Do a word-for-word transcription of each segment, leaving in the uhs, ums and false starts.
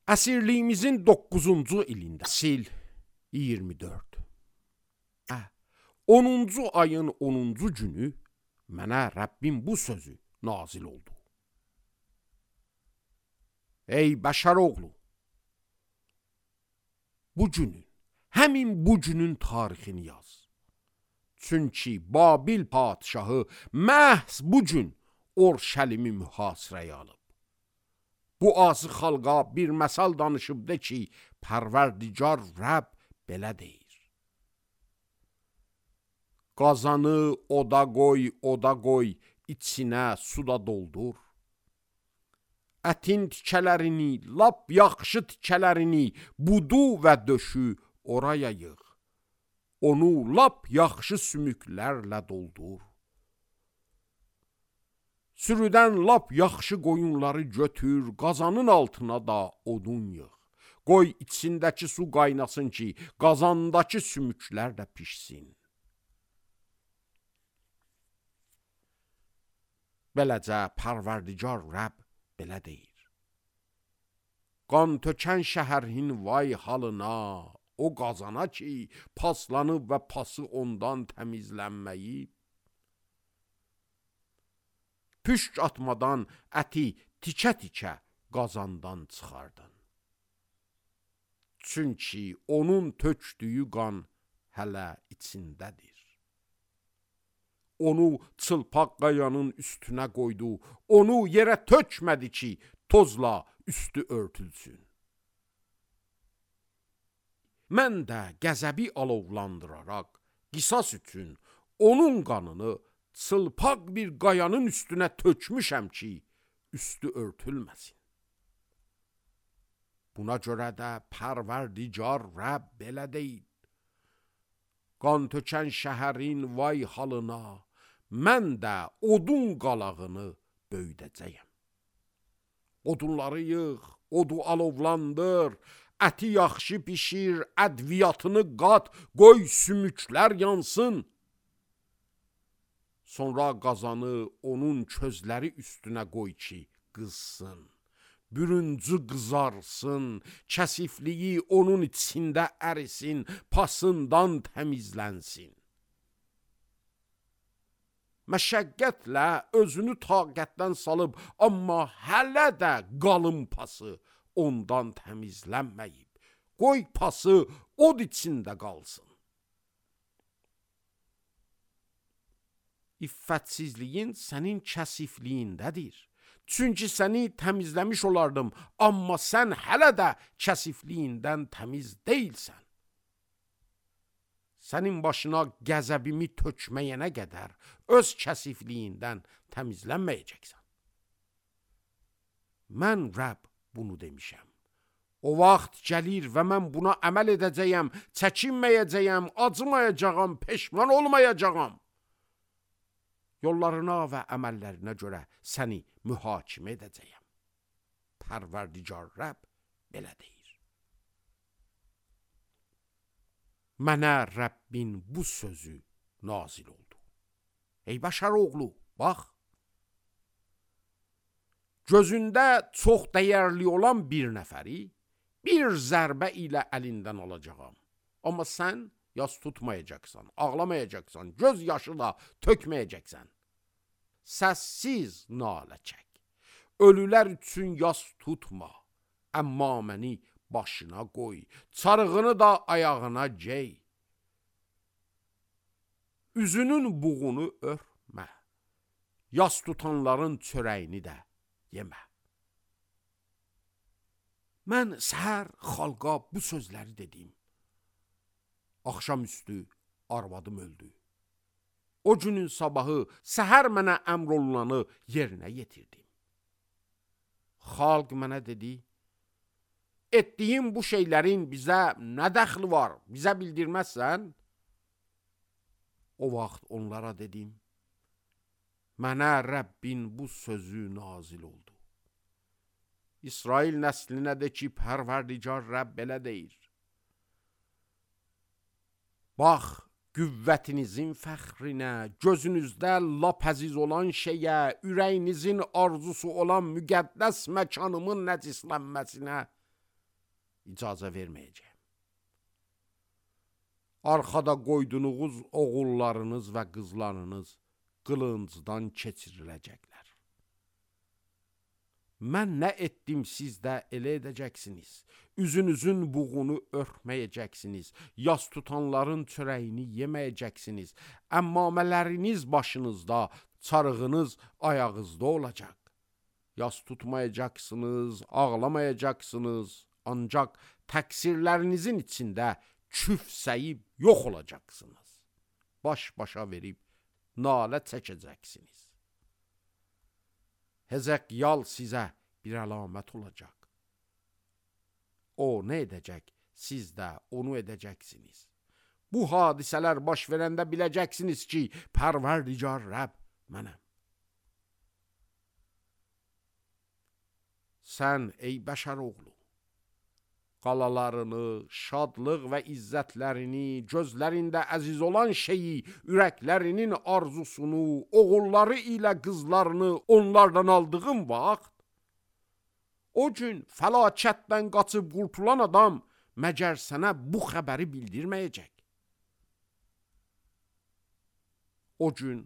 Əsirliyimizin doqquzuncu ilində, sil iyirmi dörd. Hə, onuncu ayın onuncu günü mənə Rəbbim bu sözü nazil oldu. Ey bəşər oğlu, bu günün, həmin bu günün tarixini yaz. Çünki Babil padişahı məhz bu gün Orşəlimi mühasirəyə alıb. Bu azı xalqa bir məsal danışıb de ki, Pərverdigar Rəbb belə deyir. Qazanı oda qoy, oda qoy, içinə suda doldur. Ətin tikələrini, lap yaxşı tikələrini, budu və döşü oraya yığ. Onu lap yaxşı sümüklərlə doldur. Sürüdən lap yaxşı qoyunları götür, qazanın altına da odun yığ. Qoy içindəki su qaynasın ki, qazandakı sümüklər də pişsin. Beləcə Pərverdigar Rəbb belə deyir. Qan tökən şəhərin vay halına, o qazana ki, paslanıb və pası ondan təmizlənməyib. Püşk atmadan əti tikə-tikə qazandan çıxardın. Çünki onun tökdüyü qan hələ içindədir. Onu çılpaq qayanın üstünə qoydu, onu yerə tökmədi ki, tozla üstü örtülsün. Mən də qəzəbi alovlandıraraq, qisas üçün onun qanını çılpaq bir qayanın üstünə tökmüşəm ki, üstü örtülməsin. Buna görə də Pərverdigar Rəbb belə deyil. Qan tökən şəhərin vay halına, mən də odun qalağını böydəcəyəm. Odunları yığ, odu alovlandır, əti yaxşı pişir, ədviyyatını qat, qoy sümüklər yansın. Sonra qazanı onun közləri üstünə qoy ki, qızsın. Bürüncü qızarsın, kəsifliyi onun içində ərisin, pasından təmizlənsin. Məşəqqətlə özünü taqətdən salıb, amma hələ də qalın pası ondan təmizlənməyib. Qoy pası od içində qalsın. İffətsizliyin sənin kəsifliyindədir. Çünki səni təmizləmiş olardım, amma sən hələ də kəsifliyindən təmiz deyilsən. Sənin başına qəzəbimi tökməyənə qədər öz kəsifliyindən təmizlənməyəcəksən. Mən Rəbb bunu demişəm. O vaxt gəlir və mən buna əməl edəcəyəm, çəkinməyəcəyəm, acımayacağam, peşman olmayacağam. Yollarına və əməllərinə görə səni mühakimə edəcəyəm. Pərverdigar Rəbb belə deyir. Mənə Rəbbin bu sözü nazil oldu. Ey bəşər oğlu, bax. Gözündə çox dəyərli olan bir nəfəri bir zərbə ilə əlindən alacağam. Amma sən yas tutmayacaqsan, ağlamayacaqsan, göz yaşı da tökməyəcəksən. Səssiz nalə çək. Ölülər üçün yas tutma, əmma məni başına qoy, çarığını da ayağına gey. Üzünün buğunu örtmə, yas tutanların çörəyini də yemə. Mən səhər xalqa bu sözləri dedim. Axşamüstü arvadım öldü. O günün sabahı səhər mənə əmr olunanı yerinə yetirdim. Xalq mənə dedi, etdiyin bu şeylərin bizə nə dəxli var, bizə bildirməzsən? O vaxt onlara dedim, mənə Rəbbin bu sözü nazil oldu. İsrail nəslinə de ki, Pərverdigar Rəbb belə deyir. Bax, qüvvətinizin fəxrinə, gözünüzdə lap əziz olan şeyə, ürəyinizin arzusu olan müqəddəs məkanımın nəcislənməsinə icazə verməyəcəm. Arxada qoyduğunuz oğullarınız və qızlarınız qılıncdan keçiriləcəklər. Mən nə etdim, siz də elə edəcəksiniz. Üzünüzün buğunu örtməyəcəksiniz. Yas tutanların çörəyini yeməyəcəksiniz. Əmmamələriniz başınızda, çarığınız ayağınızda olacaq. Yas tutmayacaqsınız, ağlamayacaqsınız. Ancaq təqsirlərinizin içində küfsəyib yox olacaqsınız. Baş-başa verib nalə çəkəcəksiniz. Hezekyal sizə bir əlamət olacaq. O nə edəcək, siz də onu edəcəksiniz. Bu hadisələr baş verəndə biləcəksiniz ki, Pərverdigar Rəbb mənəm. Sən ey bəşər oğlu, qalalarını, şadlıq və izzətlərini, gözlərində əziz olan şeyi, ürəklərinin arzusunu, oğulları ilə qızlarını onlardan aldığın vaxt, o gün fəlakətdən qaçıb qurtulan adam məgər sənə bu xəbəri bildirməyəcək. O gün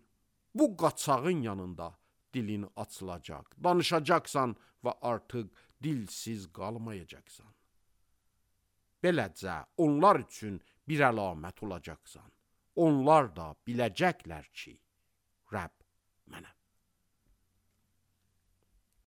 bu qaçağın yanında dilin açılacaq, danışacaqsan və artıq dilsiz qalmayacaqsan. Beləcə onlar üçün bir əlamət olacaqsan. Onlar da biləcəklər ki, Rəbb mənəm.